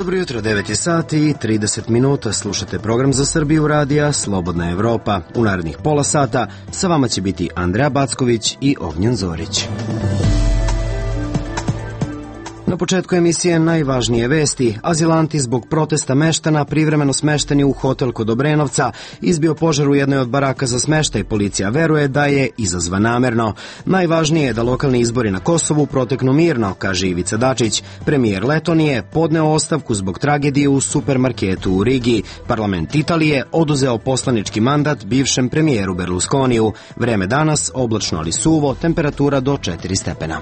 Dobro jutro, 9 sati i 30 minuta. Slušate program za Srbiju radija Slobodna Evropa. U narednih pola sata sa vama će biti Andreja Backović i Ognjen Zorić. Na početku emisije najvažnije vesti. Azilanti zbog protesta meštana privremeno smešteni u hotel kod Obrenovca. Izbio požar u jednoj od baraka za smeštaj. Policija veruje da je izazvan namerno. Najvažnije je da lokalni izbori na Kosovu proteknu mirno, kaže Ivica Dačić. Premijer Letonije podneo ostavku zbog tragedije u supermarketu u Rigi. Parlament Italije oduzeo poslanički mandat bivšem premijeru Berlusconiju. Vreme danas oblačno ali suvo, temperatura do 4 stepena.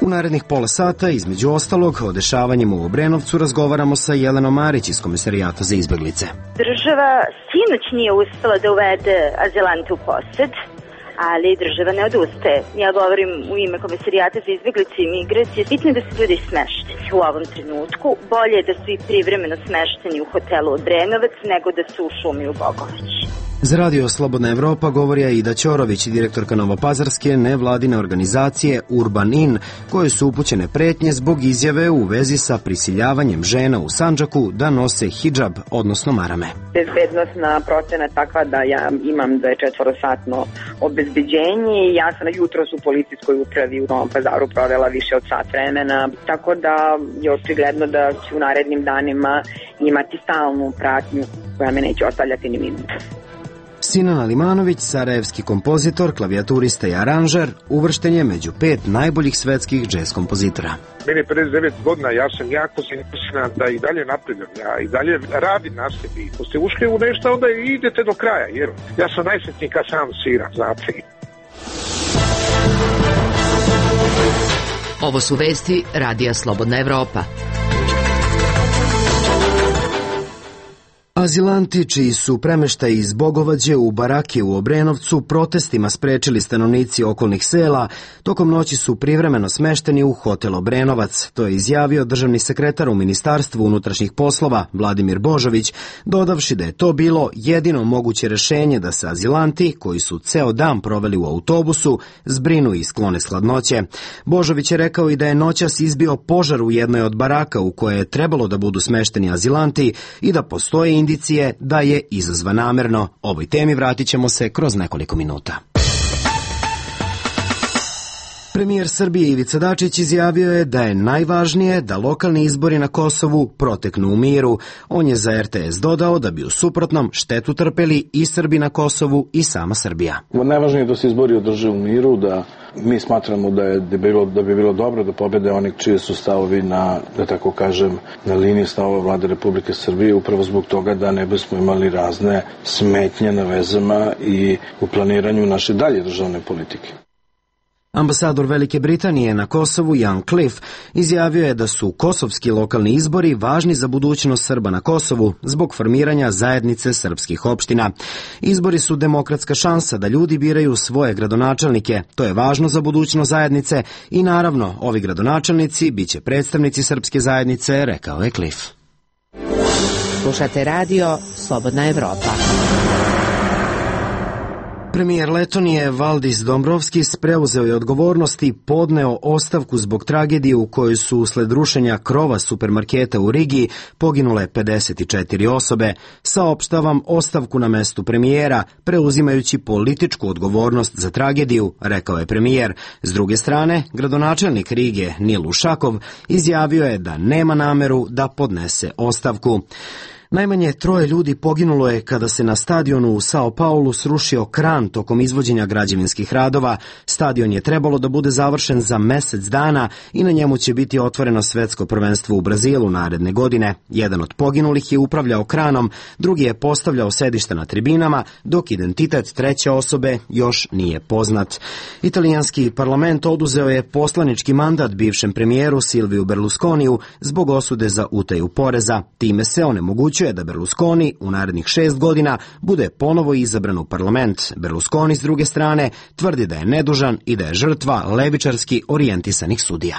U narednih pola sata, između ostalog, o dešavanjima u Obrenovcu razgovaramo sa Jelenom Marić iz Komisarijata za izbeglice. Država sinoć nije uspela da uvede azilante u posed, ali država ne odustaje. Ja govorim u ime Komisarijata za izbeglice i migracije. Bitno je da su ljudi smešteni u ovom trenutku. Bolje je da su i privremeno smešteni u hotelu Obrenovac nego da su u šumi u Bogovići. Za radio Slobodna Evropa govori Aida Ćorović, direktorka novopazarske nevladine organizacije Urban In, koje su upućene pretnje zbog izjave u vezi sa prisiljavanjem žena u Sandžaku da nose hidžab, odnosno marame. Bezbednostna procena je takva da ja imam 24-satno obezbeđenje i ja sam jutros u policijskoj upravi u Novom Pazaru provela više od sat vremena, tako da je očigledno da ću u narednim danima imati stalnu pratnju koja me neće ostavljati ni minuta. Sinan Alimanović, sarajevski kompozitor, klavijaturista i aranžer, uvršten je među 5 najboljih svetskih džez kompozitora. Meni je 59 godina, ja sam jako zainteresiran da i dalje napredam, ja i dalje radim na sebi. Ako ste ušli u nešto, onda idete do kraja, jer ja sam najsretniji kad sam sviram, znate. Ovo su vesti Radija Slobodna Evropa. Azilanti čiji su premeštaji iz Bogovađe u barake u Obrenovcu protestima sprečili stanovnici okolnih sela, tokom noći su privremeno smešteni u hotel Obrenovac. To je izjavio državni sekretar u Ministarstvu unutrašnjih poslova Vladimir Božović, dodavši da je to bilo jedino moguće rešenje da se azilanti, koji su ceo dan proveli u autobusu, zbrinu i sklone s hladnoće. Božović je rekao i da je noćas izbio požar u jednoj od baraka u koje je trebalo da budu smešteni azilanti i da postoje indicije da je izazvan namerno. Ovoj temi vratit ćemo se kroz nekoliko minuta. Premijer Srbije Ivica Dačić izjavio je da je najvažnije da lokalni izbori na Kosovu proteknu u miru. On je za RTS dodao da bi u suprotnom štetu trpeli i Srbi na Kosovu i sama Srbija. Najvažnije je da se izbori održe u miru, da mi smatramo da bi bilo dobro da pobede oni čije su stavovi na, da tako kažem, na liniji stavova Vlade Republike Srbije, upravo zbog toga da ne bismo imali razne smetnje na vezama i u planiranju naše dalje državne politike. Ambasador Velike Britanije na Kosovu, Jan Cliff, izjavio je da su kosovski lokalni izbori važni za budućnost Srba na Kosovu zbog formiranja zajednice srpskih opština. Izbori su demokratska šansa da ljudi biraju svoje gradonačelnike. To je važno za budućnost zajednice i naravno ovi gradonačelnici biće predstavnici srpske zajednice, rekao je Cliff. Slušate radio Slobodna Evropa. Premijer Letonije Valdis Dombrovskis preuzeo je odgovornost i podneo ostavku zbog tragedije u kojoj su usled rušenja krova supermarketa u Rigi poginule 54 osobe. Saopštavam ostavku na mestu premijera, preuzimajući političku odgovornost za tragediju, rekao je premijer. S druge strane, gradonačelnik Rige Nil Ušakov izjavio je da nema nameru da podnese ostavku. Najmanje 3 ljudi poginulo je kada se na stadionu u Sao Paulu srušio kran tokom izvođenja građevinskih radova. Stadion je trebalo da bude završen za mesec dana i na njemu će biti otvoreno svetsko prvenstvo u Brazilu naredne godine. Jedan od poginulih je upravljao kranom, drugi je postavljao sedišta na tribinama, dok identitet treće osobe još nije poznat. Italijanski parlament oduzeo je poslanički mandat bivšem premijeru Silviju Berlusconiju zbog osude za utaju poreza. Time se onemogućuje da Berlusconi u narednih 6 godina bude ponovo izabran u parlament. Berlusconi s druge strane tvrdi da je nedužan i da je žrtva levičarski orijentisanih sudija.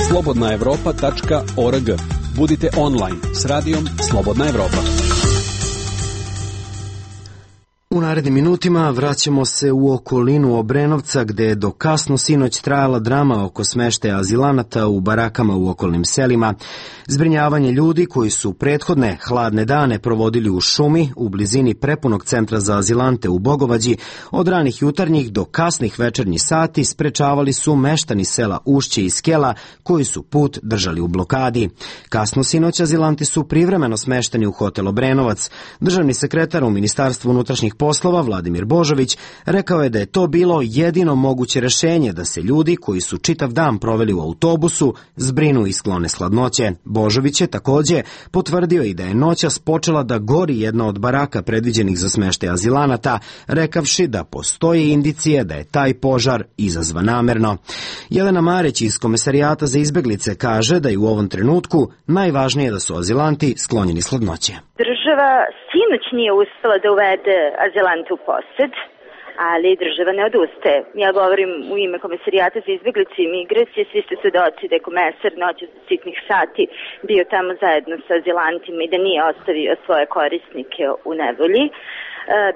slobodnaevropa.org. Budite online s radijom Slobodna Evropa. U narednim minutima vraćamo se u okolinu Obrenovca gde je do kasno sinoć trajala drama oko smeštaja azilanata u barakama u okolnim selima. Zbrinjavanje ljudi koji su prethodne hladne dane provodili u šumi u blizini prepunog centra za azilante u Bogovađi od ranih jutarnjih do kasnih večernjih sati sprečavali su meštani sela Ušće i Skela koji su put držali u blokadi. Kasno sinoć azilanti su privremeno smešteni u hotel Obrenovac. Državni sekretar u Ministarstvu unutrašnjih poslova Vladimir Božović rekao je da je to bilo jedino moguće rešenje da se ljudi koji su čitav dan proveli u autobusu zbrinu i sklone s hladnoće. Božović je takođe potvrdio i da je noćas počela da gori jedna od baraka predviđenih za smeštaj azilanata, rekavši da postoji indicije da je taj požar izazvan namerno. Jelena Marić iz Komesarijata za izbeglice kaže da je u ovom trenutku najvažnije da su azilanti sklonjeni s hladnoće. Država sinoć nije uspela da uvede azilante u posed, ali država ne odustaje. Ja govorim u ime Komesarijata za izbeglice i migracije, svi ste svedoci da je komesar noći za sitnih sati bio tamo zajedno sa azilantima i da nije ostavio svoje korisnike u nevolji.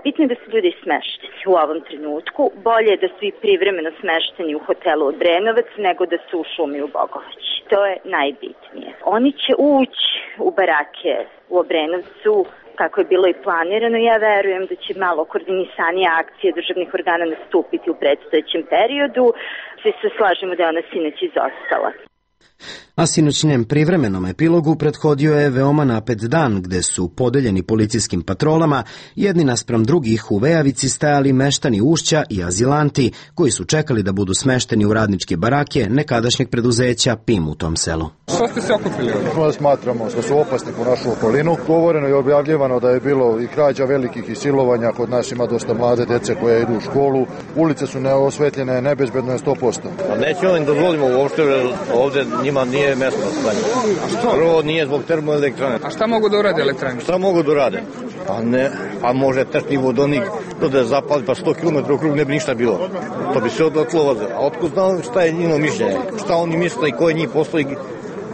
Bitno je da su ljudi smešteni u ovom trenutku. Bolje je da su i privremeno smešteni u hotelu Obrenovac nego da su u šumi u Bogovaći. To je najbitnije. Oni će ući u barake u Obrenovcu kako je bilo i planirano. Ja verujem da će malo koordinisanije akcije državnih organa nastupiti u predstojećem periodu. Svi se slažemo da je ona sinoć izostala. A sinoćnjem privremenom epilogu prethodio je veoma napet dan gde su podeljeni policijskim patrolama jedni naspram drugih u vejavici stajali meštani Ušća i azilanti koji su čekali da budu smešteni u radničke barake nekadašnjeg preduzeća PIM u tom selu. Što ste se okupili? Smatramo da su opasni po našu okolinu. Govoreno i objavljivano da je bilo i krađa velikih i silovanja, kod nas ima dosta mlade dece koje idu u školu. Ulice su neosvetljene, nebezbedno je 100%. Nećemo im dozvolimo uopšte, ovde njima nije mesto stanje. Prvo nije zbog termoelektrane. A šta mogu da urade elektrane? Šta mogu da urade? Pa može teški vodonik da zapali, pa 100 km u krug ne bi ništa bilo. To bi se odletlo voze. A otkud znamo šta je njino mišljenje? Šta oni misle i koje njih postoji,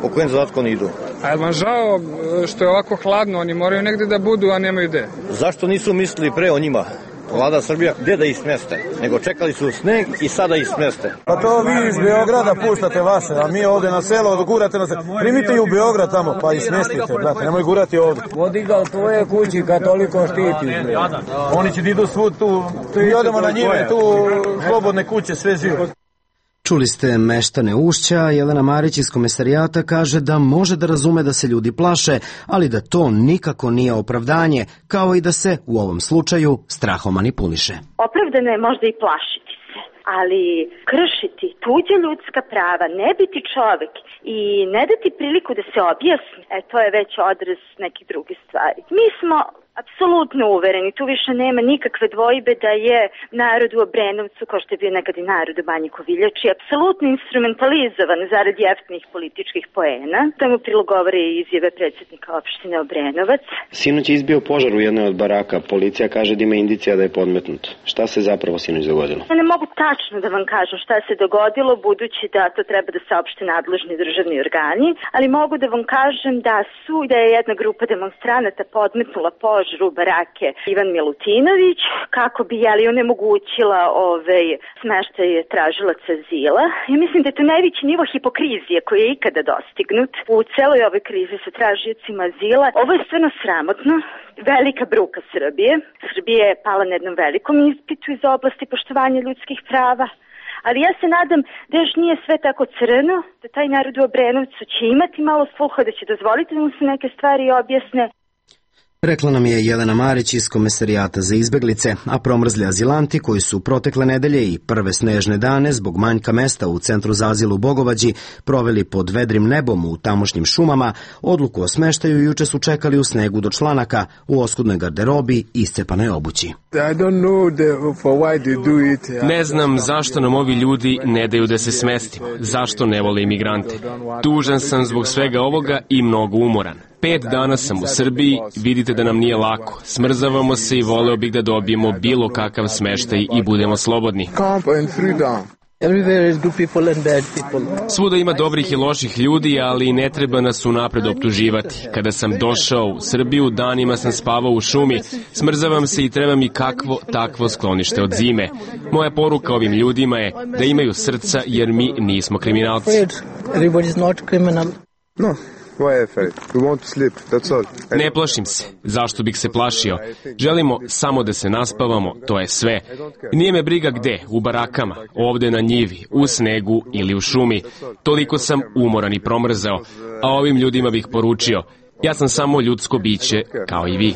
po kojem zadatku oni idu? A je vam žao što je ovako hladno, oni moraju negde da budu, a nemaju gde? Zašto nisu mislili pre o njima? Vlada Srbija, gde da ih smeste? Nego čekali su sneg i sada ih smeste. Pa to vi iz Beograda puštate vaše, a mi ovde na selo gurate na selo. Primite i u Beograd tamo, pa ih smestite, brate, nemoj gurati ovde. Vodi ga u tvoje kući kad toliko štiti. Oni će da idu svud tu, mi odemo na njive, tu slobodne kuće, sve živo. Čuli ste meštane Ušća, Jelena Marić iz Komesarijata kaže da može da razume da se ljudi plaše, ali da to nikako nije opravdanje, kao i da se u ovom slučaju strahom manipuliše. Opravdano je možda i plašiti se, ali kršiti tuđe ljudska prava, ne biti čovek i ne dati priliku da se objasni, to je već odraz nekih drugih stvari. Mi smo apsolutno uvereni, tu više nema nikakve dvojbe da je narod u Obrenovcu, kao što je bio nekad i narod u Banji Koviljači, apsolutno instrumentalizovan zarad jeftinih političkih poena. Tomu prilog govore i izjave predsjednika opštine Obrenovac. Sinoć je izbio požar u jednoj od baraka. Policija kaže da ima indicija da je podmetnut. Šta se zapravo sinoć dogodilo? Ja ne mogu tačno da vam kažem šta se dogodilo, budući da to treba da saopšte nadležni državni organi, ali mogu da vam kažem da je jedna grupa demonstranata podmetnula požar u barake Ivan Milutinović, kako bi onemogućila smeštaj tražilaca azila. I mislim da je to najveći nivo hipokrizije koji je ikada dostignut u celoj ovoj krizi sa tražiocima azila. Ovo je stvarno sramotno. Velika bruka Srbije. Srbija je pala na jednom velikom ispitu iz oblasti poštovanja ljudskih prava. Ali ja se nadam da još nije sve tako crno, da taj narod u Obrenovcu će imati malo sluha, da će dozvoliti da mu se neke stvari objasne. Rekla nam je Jelena Marić iz Komesarijata za izbeglice, a promrzli azilanti koji su protekle nedelje i prve snežne dane zbog manjka mesta u centru za azil u Bogovađi proveli pod vedrim nebom u tamošnjim šumama, odluku o smeštaju juče su čekali u snegu do članaka, u oskudnoj garderobi i iscepanoj obući. Ne znam zašto nam ovi ljudi ne daju da se smestimo, zašto ne vole imigrante. Tužan sam zbog svega ovoga i mnogo umoran. 5 dana sam u Srbiji, vidite da nam nije lako. Smrzavamo se i voleo bih da dobijemo bilo kakav smeštaj i budemo slobodni. Svuda ima dobrih i loših ljudi, ali ne treba nas unapred optuživati. Kada sam došao u Srbiju, danima sam spavao u šumi, smrzavam se i treba mi kakvo takvo sklonište od zime. Moja poruka ovim ljudima je da imaju srca jer mi nismo kriminalci. Ne plašim se. Zašto bih se plašio? Želimo samo da se naspavamo, to je sve. Nije me briga gde, u barakama, ovde na njivi, u snegu ili u šumi. Toliko sam umoran i promrzao, a ovim ljudima bih poručio, ja sam samo ljudsko biće, kao i vi.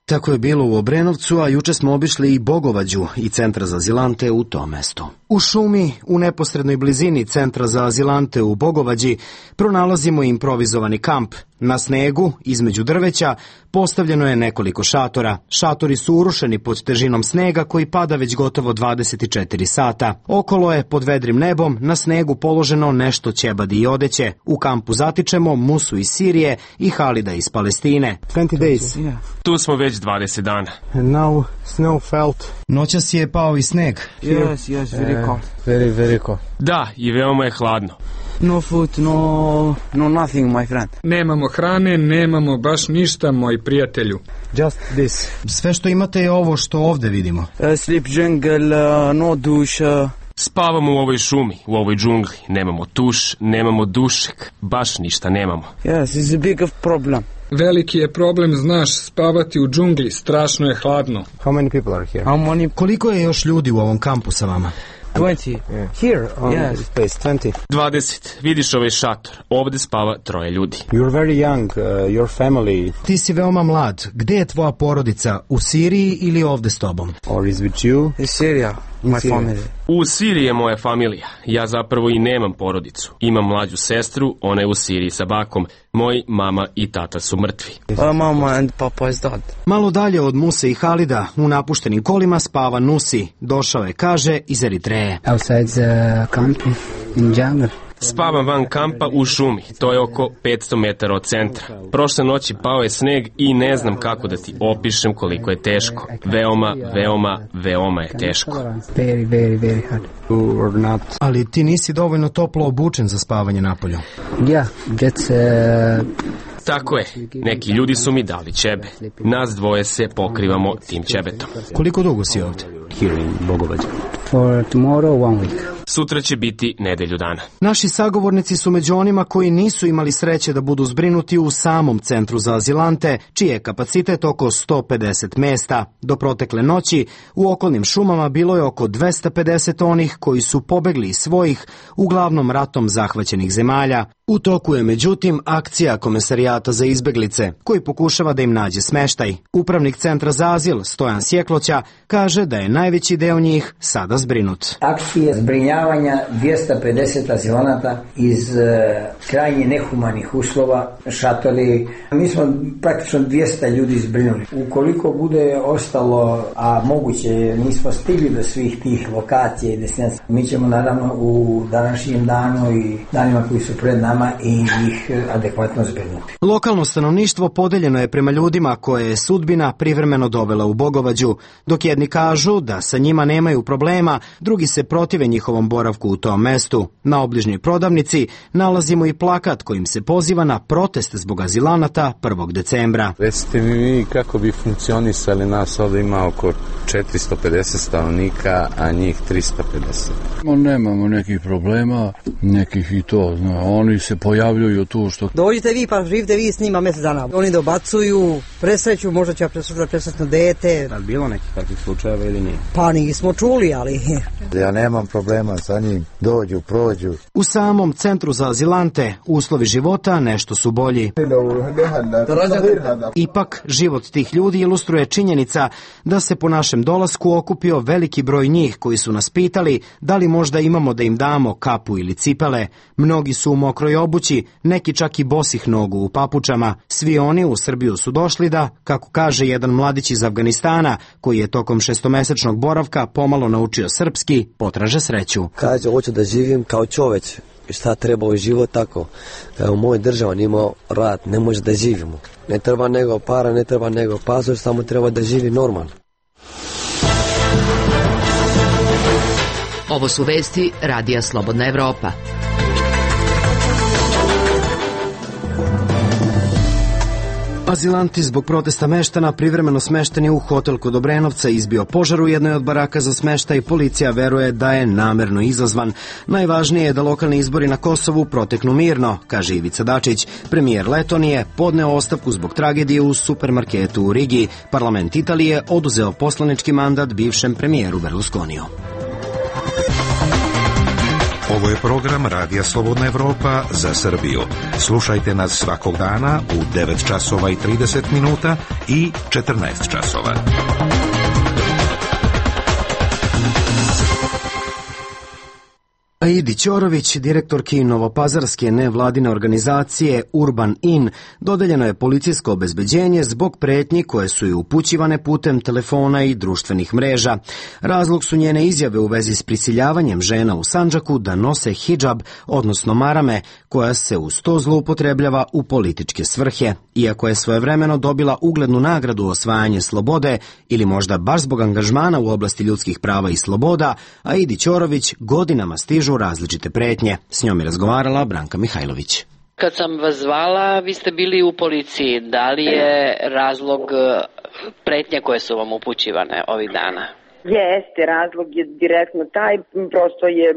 Tako je bilo u Obrenovcu, a juče smo obišli i Bogovađu i centar za azilante u tom mestu. U šumi, u neposrednoj blizini centra za azilante u Bogovađi, pronalazimo improvizovani kamp. Na snegu, između drveća, postavljeno je nekoliko šatora. Šatori su urušeni pod težinom snega koji pada već gotovo 24 sata. Okolo je, pod vedrim nebom, na snegu položeno nešto ćebadi i odeće. U kampu zatičemo Musu iz Sirije i Halida iz Palestine. 20 days. Tu smo već 20 dana. And now snow felt. Noćas je pao i sneg. Yes, very cold. Very cold. Da, i veoma je hladno. No food, no nothing, my friend. Nemamo hrane, nemamo baš ništa, moj prijatelju. Just this. Sve što imate je ovo što ovde vidimo. Sleep jungle, no duše. Spavamo u ovoj šumi, u ovoj džungli. Nemamo tuš, nemamo dušek, baš ništa nemamo. Yes, it's a big problem. Veliki je problem, znaš, spavati u džungli, strašno je hladno. How many people are here? Koliko je još ljudi u ovom kampu sa vama? 20. Here on this place, 20. 20. Vidiš ovaj šator. Ovde spava 3 ljudi. You're very young, your family. Ti si veoma mlad. Gde je tvoja porodica? U Siriji ili ovde s tobom? Or is with you? In Syria, my family. U Siriji je moja familija. Ja zapravo i nemam porodicu. Imam mlađu sestru, ona je u Siriji sa bakom. Moji mama i tata su mrtvi. Mama and papa is dead. Malo dalje od Muse i Halida, u napuštenim kolima spava Nusi. Došao je, kaže, iz Eritreje. Outside the camp in jungle. Spavam van kampa u šumi, to je oko 500 metara od centra. Prošle noći pao je sneg i ne znam kako da ti opišem koliko je teško. Veoma je teško. Very hard. Ali ti nisi dovoljno toplo obučen za spavanje napolju. Yeah, that's... Tako je, neki ljudi su mi dali ćebe. Nas dvoje se pokrivamo tim ćebetom. Koliko dugo si ovde? Here in Bogovađa. For tomorrow, 1 week. Sutra će biti nedelju dana. Naši sagovornici su među onima koji nisu imali sreće da budu zbrinuti u samom centru za azilante, čiji je kapacitet oko 150 mesta. Do protekle noći u okolnim šumama bilo je oko 250 onih koji su pobegli iz svojih, uglavnom ratom zahvaćenih zemalja. U toku je međutim akcija Komesarijata za izbeglice, koji pokušava da im nađe smeštaj. Upravnik centra za azil, Stojan Sjekloća, kaže da je najveći deo njih sada zbrinut. Akcije zbrinjavanja 250 azilanata iz krajnje nehumanih uslova, šatori. Mi smo praktično 200 ljudi zbrinuli. Ukoliko bude ostalo, a moguće nismo stigli do svih tih lokacija i destinacija, mi ćemo naravno u današnjem danu i danima koji su pred nama i ih adekvatno zbrinuti. Lokalno stanovništvo podeljeno je prema ljudima koje je sudbina privremeno dovela u Bogovađu, dok jedni kažu da sa njima nemaju problema, drugi se protive njihovom boravku u tom mestu. Na obližnjoj prodavnici nalazimo i plakat kojim se poziva na protest zbog azilanata 1. decembra. Recite mi kako bi funkcionisali, nas ovdje ima oko 450 stanovnika, a njih 350. Nemamo nekih problema, nekih i to, oni se pojavljuju tu što... Dođite vi pa živite vi s njima mjesec dana. Oni dobacuju, presreću, možda će presretno dete. Je li bilo nekih takvih slučajeva ili nije? Pa nismo čuli, ali... Ja nemam problema sa njim, dođu, prođu. U samom centru za azilante uslovi života nešto su bolji. Ipak, život tih ljudi ilustruje činjenica da se po našem dolasku okupio veliki broj njih koji su nas pitali da li možda imamo da im damo kapu ili cipele. Mnogi su u mokroj obući, neki čak i bosih nogu u papučama. Svi oni u Srbiju su došli da, kako kaže jedan mladić iz Afganistana, koji je tokom 6-mesečnog boravka pomalo naučio srpski, potraže sreću. Kaže, hoću da živim kao čoveč. Šta treba u život tako? U mojoj državi nimao rad, ne može da živimo. Ne treba nego para, ne treba nego pasoš, samo treba da živi normalno. Ovo su vesti Radija Slobodna Evropa. Azilanti zbog protesta meštana privremeno smešteni u hotel kod Obrenovca izbio požar u jednoj od baraka za smeštaj. Policija veruje da je namerno izazvan. Najvažnije je da lokalni izbori na Kosovu proteknu mirno, kaže Ivica Dačić. Premijer Letonije podneo ostavku zbog tragedije u supermarketu u Rigi. Parlament Italije oduzeo poslanički mandat bivšem premijeru Berlusconiju. Ovo je program Radija Slobodna Evropa za Srbiju. Slušajte nas svakog dana u 9 časova i 30 minuta i 14 časova. Aidi Ćorović, direktorki novopazarske nevladine organizacije Urban In, dodeljeno je policijsko obezbeđenje zbog pretnji koje su joj upućivane putem telefona i društvenih mreža. Razlog su njene izjave u vezi s prisiljavanjem žena u Sandžaku da nose hidžab, odnosno marame, koja se uz to zloupotrebljava u političke svrhe. Iako je svojevremeno dobila uglednu nagradu osvajanje slobode ili možda baš zbog angažmana u oblasti ljudskih prava i sloboda, Aidi Ćorović godinama stižu različite pretnje. S njom je razgovarala Branka Mihajlović. Kad sam vas zvala, vi ste bili u policiji. Da li je razlog pretnje koje su vam upućivane ovih dana? Jeste, razlog je direktno taj, prosto je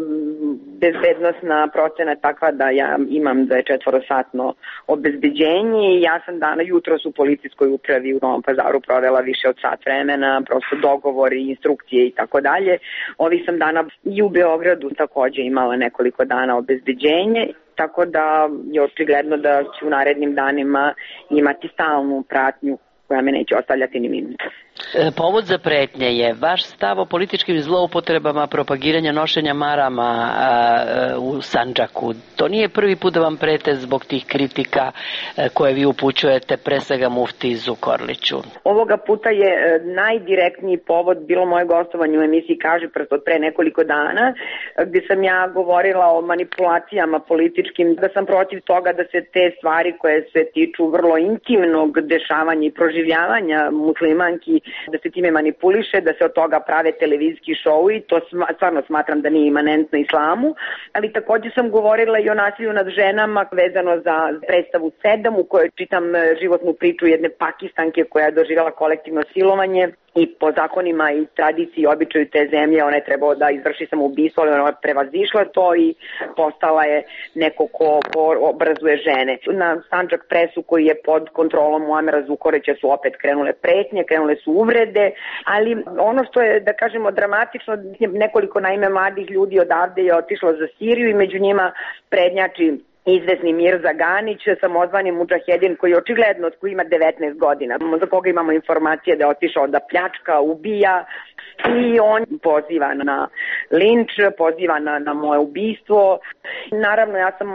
bezbednostna procena takva da ja imam 24-satno obezbeđenje i ja sam jutros u policijskoj upravi u Novom Pazaru provela više od sat vremena, prosto dogovori, instrukcije i tako dalje. Ovih sam dana i u Beogradu takođe imala nekoliko dana obezbeđenje, tako da je očigledno da ću u narednim danima imati stalnu pratnju koja me neće ostavljati ni minuta. Povod za pretnje je vaš stav o političkim zloupotrebama propagiranja nošenja marama u Sandžaku. To nije prvi put da vam prete zbog tih kritika koje vi upućujete pre svega muftiji Zukorliću. Ovoga puta je najdirektniji povod bilo moje gostovanje u emisiji Kaži prst od pre nekoliko dana, gdje sam ja govorila o manipulacijama političkim, da sam protiv toga da se te stvari koje se tiču vrlo intimnog dešavanja i proživljavanja muslimanki, da se time manipuliše, da se od toga prave televizijski šou i to stvarno smatram da nije imanentno islamu, ali također sam govorila i o nasilju nad ženama vezano za predstavu 7 u kojoj čitam životnu priču jedne Pakistanke koja je doživjela kolektivno silovanje i po zakonima i tradiciji i običaju te zemlje ona je trebao da izvrši samoubistvo, ali ona je prevazišla to i postala je neko ko obrazuje žene. Na Sandžak presu koji je pod kontrolom Muamera Zukorlića su opet krenule pretnje, krenule su uvrede, ali ono što je, da kažemo, dramatično, nekoliko naime mladih ljudi odavde je otišlo za Siriju i među njima prednjači izvesni Mirza Ganić, samozvani mudžahedin koji očigledno koji ima 19 godina, za koga imamo informacije da je otišao da pljačka, ubija i on poziva na linč, poziva na moje ubistvo. Naravno, ja sam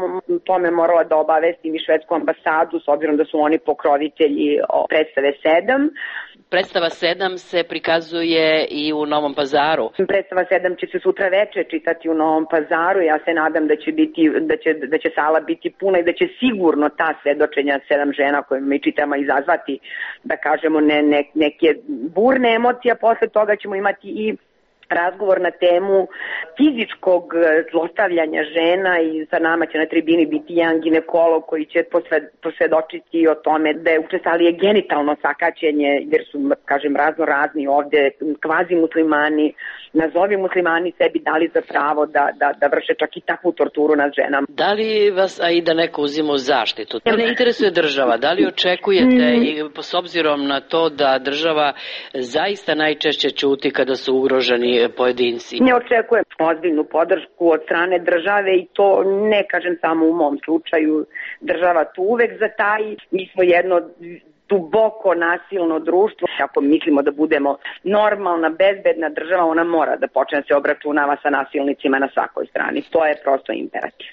tome morala da obavestim i švedsku ambasadu s obzirom da su oni pokrovitelji predstave 7. Predstava 7 se prikazuje i u Novom Pazaru. Predstava 7 će se sutra veče čitati u Novom Pazaru. Ja se nadam da će sala biti puna i da će sigurno ta svedočenja 7 žena koje mi čitamo izazvati, da kažemo, neke burne emocije. Posle toga ćemo imati i razgovor na temu fizičkog zlostavljanja žena i sa nama će na tribini biti jedan ginekolog koji će posvedočiti o tome da je učestalije genitalno sakaćenje, jer su, kažem, razni ovde kvazi muslimani, nazovi muslimani sebi dali za pravo da vrše čak i takvu torturu nad ženama. Da li vas Aida neko uzima u zaštitu? Da li interesuje država? Da li očekujete, i s obzirom na to da država zaista najčešće ćuti kada su ugroženi pojedinci? Ne očekujem ozbiljnu podršku od strane države i to ne kažem samo u mom slučaju. Država tu uvek zataji. Mi smo jedno duboko nasilno društvo. Ako mislimo da budemo normalna, bezbedna država, ona mora da počne se obračunava sa nasilnicima na svakoj strani. To je prosto imperativ.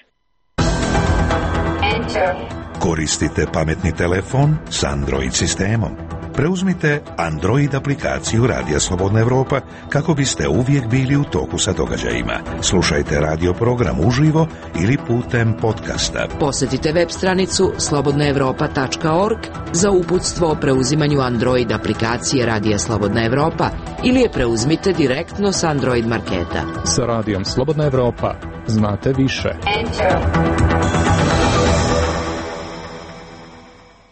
Koristite pametni telefon s Android sistemom. Preuzmite Android aplikaciju Radija Slobodna Evropa kako biste uvijek bili u toku sa događajima. Slušajte radio program uživo ili putem podcasta. Posjetite web stranicu slobodnaevropa.org za uputstvo o preuzimanju Android aplikacije Radija Slobodna Evropa ili je preuzmite direktno s Android marketa. Sa Radijom Slobodna Evropa znate više.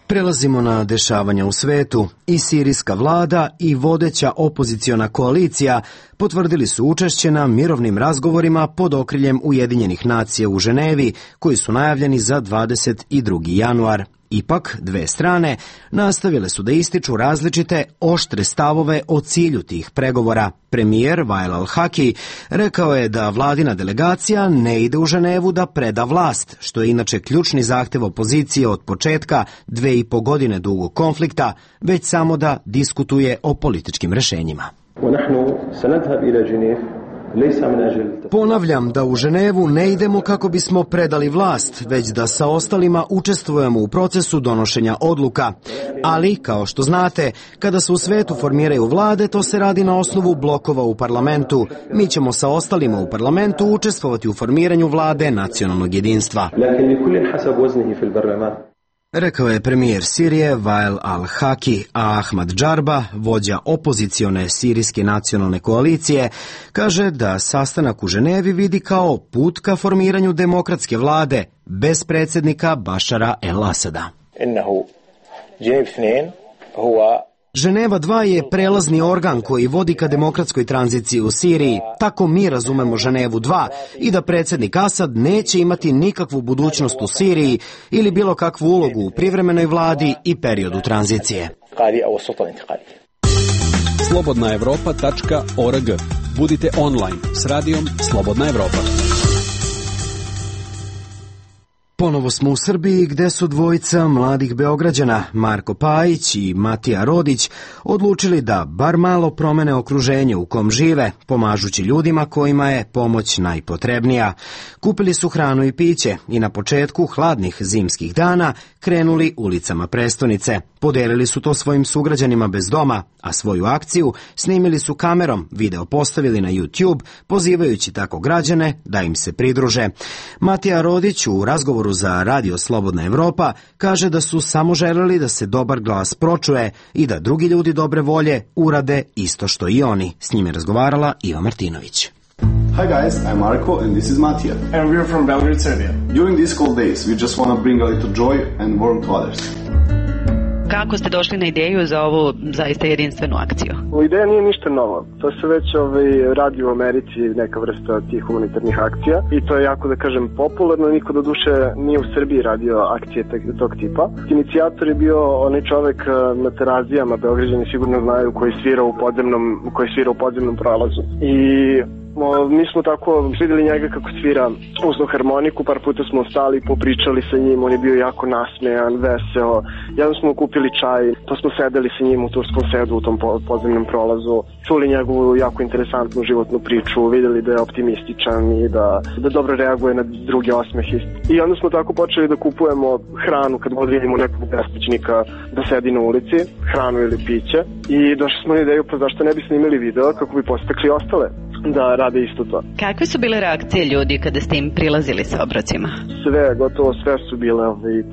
Prelazimo na dešavanja u svetu. I sirijska vlada i vodeća opoziciona koalicija potvrdili su učešće na mirovnim razgovorima pod okriljem Ujedinjenih nacija u Ženevi, koji su najavljeni za 22. januar. Ipak, dve strane nastavile su da ističu različite oštre stavove o cilju tih pregovora. Premijer Wael al-Haki rekao je da vladina delegacija ne ide u Ženevu da preda vlast, što je inače ključni zahtev opozicije od početka 2,5 godine dugog konflikta, već samo da diskutuje o političkim rešenjima. Ponavljam da u Ženevu ne idemo kako bismo predali vlast, već da sa ostalima učestvujemo u procesu donošenja odluka. Ali, kao što znate, kada se u svetu formiraju vlade, to se radi na osnovu blokova u parlamentu. Mi ćemo sa ostalima u parlamentu učestvovati u formiranju vlade nacionalnog jedinstva. Rekao je premijer Sirije Wael al-Haki, a Ahmad Džarba, vođa opozicione sirijske nacionalne koalicije, kaže da sastanak u Ženevi vidi kao put ka formiranju demokratske vlade bez predsjednika Bašara el-Asada. Ženeva 2 je prelazni organ koji vodi ka demokratskoj tranziciji u Siriji. Tako mi razumemo Ženevu 2 i da predsjednik Asad neće imati nikakvu budućnost u Siriji ili bilo kakvu ulogu u privremenoj vladi i periodu tranzicije. slobodnaevropa.org. Budite online s radijom Slobodna Evropa. Ponovo smo u Srbiji gde su dvojica mladih Beograđana, Marko Pajić i Matija Rodić, odlučili da bar malo promene okruženje u kom žive, pomažući ljudima kojima je pomoć najpotrebnija. Kupili su hranu i piće i na početku hladnih zimskih dana krenuli ulicama prestonice. Podelili su to svojim sugrađanima bez doma, a svoju akciju snimili su kamerom, video postavili na YouTube, pozivajući tako građane da im se pridruže. Matija Rodić u razgovoru za Radio Slobodna Evropa kaže da su samo želeli da se dobar glas pročuje i da drugi ljudi dobre volje urade isto što i oni. S njim je razgovarala Iva Martinović. Hi guys, I'm Marko and this is Matija. And we're from Belgrade, Serbia. During these cold days, we just want to bring a little joy and warmth to others. Kako ste došli na ideju za ovu zaista jedinstvenu akciju? Ideja nije ništa novo. To se već radi u Americi, neka vrsta tih humanitarnih akcija i to je jako, da kažem, popularno. Niko do duše nije u Srbiji radio akcije tog tipa. Inicijator je bio onaj čovek na Terazijama, Beograđani sigurno znaju, koji svira u podzemnom prolazu. I mi smo tako videli njega kako svira usno harmoniku, par puta smo stali, popričali sa njim, on je bio jako nasmejan, veseo. Jednom smo kupili čaj, pa smo sedeli sa njim u turskom sedu u tom podzemnom prolazu, čuli njegovu jako interesantnu životnu priču, videli da je optimističan i da dobro reaguje na druge osmehe. I onda smo tako počeli da kupujemo hranu kad vidimo nekog beskućnika da sedi na ulici, hranu ili piće, i došli smo na ideju, pa zašto ne bi snimili video kako bi postakli ostale da rade isto to. Kakve su bile reakcije ljudi kada ste im prilazili sa obrocima? Gotovo sve su bile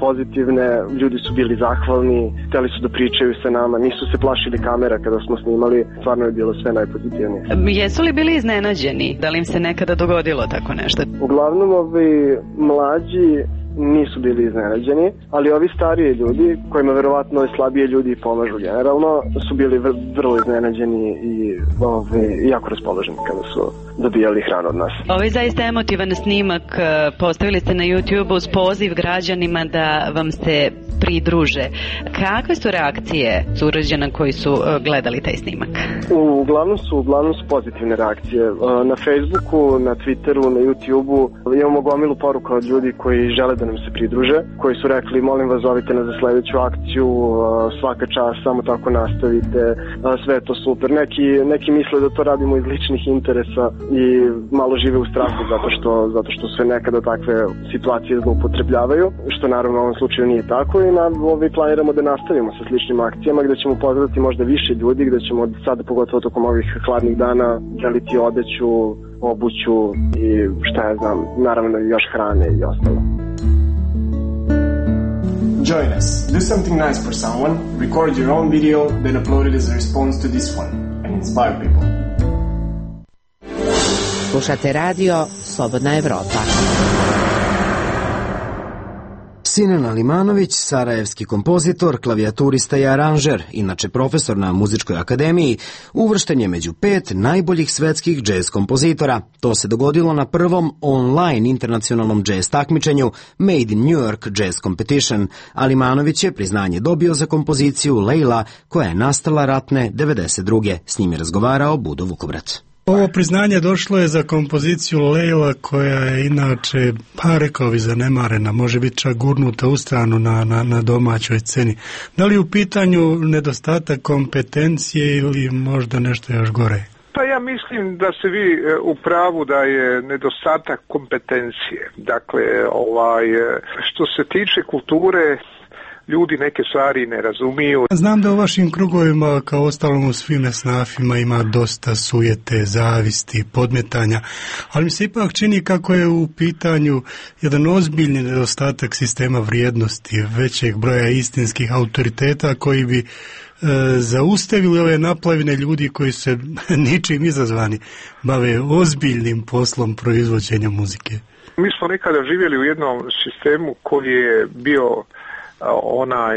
pozitivne, ljudi su bili zahvalni, hteli su da pričaju sa nama, nisu se plašili kamera kada smo snimali, stvarno je bilo sve najpozitivnije. Jesu li bili iznenađeni? Da li im se nekada dogodilo tako nešto? Uglavnom mlađi nisu bili iznenađeni, ali ovi stariji ljudi, kojima verovatno slabije ljudi pomažu generalno, su bili vrlo iznenađeni i jako raspoloženi kada su dobijali hranu od nas. Ovaj zaista emotivan snimak postavili ste na YouTube uz poziv građanima da vam se pridruže. Kakve su reakcije sugrađana koji su gledali taj snimak? Uglavnom su pozitivne reakcije. Na Facebooku, na Twitteru, na YouTubeu imamo gomilu poruka od ljudi koji žele da nam se pridruže, koji su rekli molim vas zovite nas za sledeću akciju, svaka čast, samo tako nastavite, sve je to super. Neki misle da to radimo iz ličnih interesa i malo žive u strahu zato što se nekada takve situacije zloupotrebljavaju, što naravno u ovom slučaju nije tako i planiramo da nastavimo sa sličnim akcijama gde ćemo pozvati možda više ljudi, gde ćemo sada pogotovo tokom ovih hladnih dana deliti odeću, obuću i šta ja znam, naravno još hrane i ostalo. Join us. Do something nice for someone, record your own video, then upload it as a response to this one and inspire people. Slušate radio Slobodna Evropa. Sinan Alimanović, sarajevski kompozitor, klavijaturista i aranžer, inače profesor na Muzičkoj akademiji, uvršten je među 5 najboljih svetskih džez kompozitora. To se dogodilo na prvom online internacionalnom džez takmičenju Made in New York Jazz Competition. Alimanović je priznanje dobio za kompoziciju Leila, koja je nastala ratne 92. S njim je razgovarao Budo Vukobrat. Ovo priznanje došlo je za kompoziciju Leila, koja je inače, pa rekao bi, zanemarena, može biti čak gurnuta u stranu na domaćoj sceni. Da li u pitanju nedostatak kompetencije ili možda nešto još gore? Pa ja mislim da ste vi u pravu da je nedostatak kompetencije. Dakle, što se tiče kulture, ljudi neke stvari ne razumiju. Znam da u vašim krugovima, kao ostalom u svim esnafima, ima dosta sujete, zavisti, podmetanja, ali mi se ipak čini kako je u pitanju jedan ozbiljni nedostatak sistema vrijednosti, većeg broja istinskih autoriteta koji bi zaustavili ove naplavine ljudi koji se ničim izazvani bave ozbiljnim poslom proizvođenja muzike. Mi smo nekada živjeli u jednom sistemu koji je bio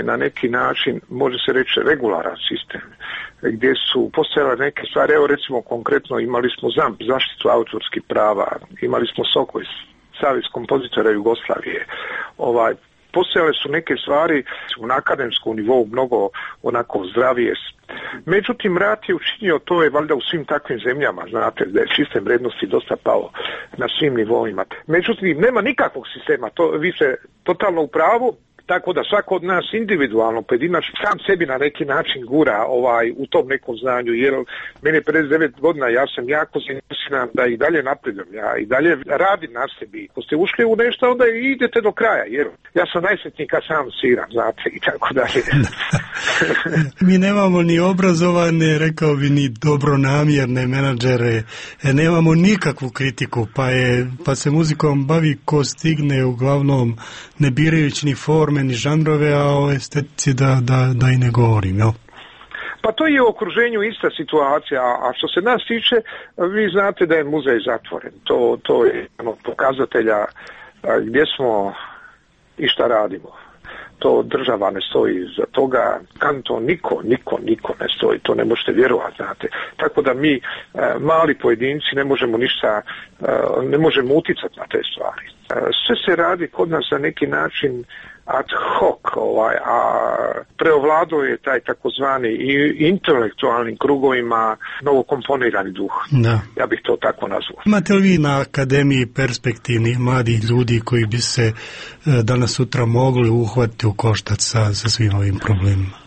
na neki način, može se reći, regularan sistem, gdje su postojale neke stvari. Evo recimo konkretno imali smo ZAMP, zaštitu autorskih prava, imali smo SOKOJ, Savez kompozitora Jugoslavije. Postojale su neke stvari na akademskom nivou mnogo onako zdravije. Međutim, rat je učinio, to je valjda u svim takvim zemljama, znate, da je sistem vrednosti dosta pao na svim nivoima. Međutim, nema nikakvog sistema, vi ste totalno u pravu. Tako da svako od nas individualno, pojedinačno, sam sebi na neki način gura u tom nekom znanju, jer meni je 59 godina, ja sam jako zainteresiran da i dalje napredujem, ja i dalje radim na sebi. Ako ste ušli u nešto, onda idete do kraja, jer ja sam najsretniji kad sam sviram, znate, i tako dalje. Mi nemamo ni obrazovane, rekao bi, ni dobronamjerne menadžere, nemamo nikakvu kritiku, pa se muzikom bavi ko stigne, uglavnom ne birajući ni forme, ni žanrove, a o estetici da i ne govorim, jel? Pa to je u okruženju ista situacija, a što se nas tiče, vi znate da je muzej zatvoren. To je pokazatelja gdje smo i šta radimo. To država ne stoji za toga, kanto niko ne stoji, to ne možete vjerovati, znate. Tako da mi, mali pojedinci, ne možemo ništa, ne možemo uticati na te stvari. Sve se radi kod nas na neki način ad hoc, a preovladao je taj takozvani intelektualnim krugovima novokomponirani duh. Da. Ja bih to tako nazvao. Imate li vi na akademiji perspektivnih mladih ljudi koji bi se danas sutra mogli uhvatiti u koštac sa svim ovim problemima?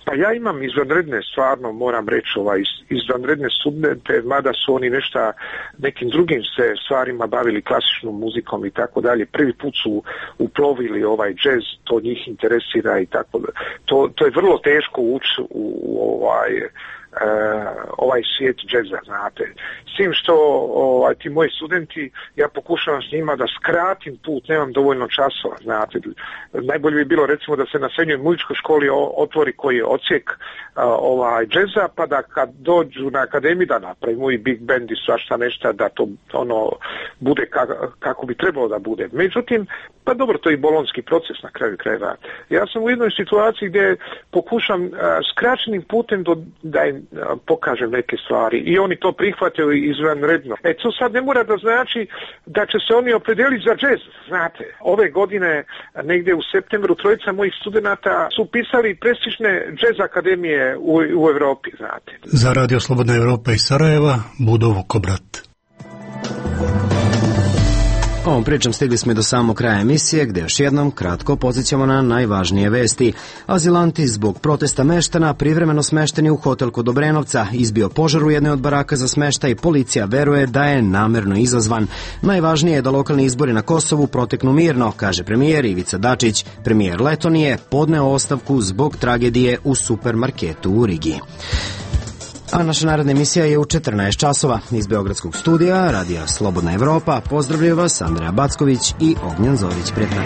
Pa ja imam izvanredne, stvarno moram reći, izvanredne studente, mada su oni nekim drugim se stvarima bavili, klasičnom muzikom i tako dalje. Prvi put su uplovili džez, to njih interesira i tako dalje. To je vrlo teško ući u ovaj svijet džeza, znate. S tim što ti moji studenti, ja pokušavam s njima da skratim put, nemam dovoljno časova, znate. Najbolje bi bilo recimo da se na srednjoj muzičkoj školi otvori koji je odsjek džeza, pa da kad dođu na akademiju da napravimo i big band i svašta nešto, da to bude kako bi trebalo da bude. Međutim, pa dobro, to je i bolonski proces na kraju krajeva. Ja sam u jednoj situaciji gdje pokušam skraćenim putem da im pokažem neke stvari i oni to prihvataju izvanredno. To sad ne mora da znači da će se oni opredeliti za džez, znate. Ove godine, negdje u septembru, 3 mojih studenata su upisali prestižne džez akademije u Evropi, znate. Za Radio Slobodna Evropa iz Sarajeva, Budo Vukobrat. Ovom pričom stigli smo i do samog kraja emisije, gde još jednom kratko podsjećamo na najvažnije vesti. Azilanti zbog protesta meštana privremeno smešteni u hotel kod Obrenovca, izbio požar u jednoj od baraka za smeštaj, policija veruje da je namerno izazvan. Najvažnije je da lokalni izbori na Kosovu proteknu mirno, kaže premijer Ivica Dačić. Premijer Letonije podneo ostavku zbog tragedije u supermarketu u Rigi. A naša naredna emisija je u 14 časova. Iz Beogradskog studija Radija Slobodna Evropa pozdravljaju vas Andreja Backović i Ognjan Zorić. Prijetno.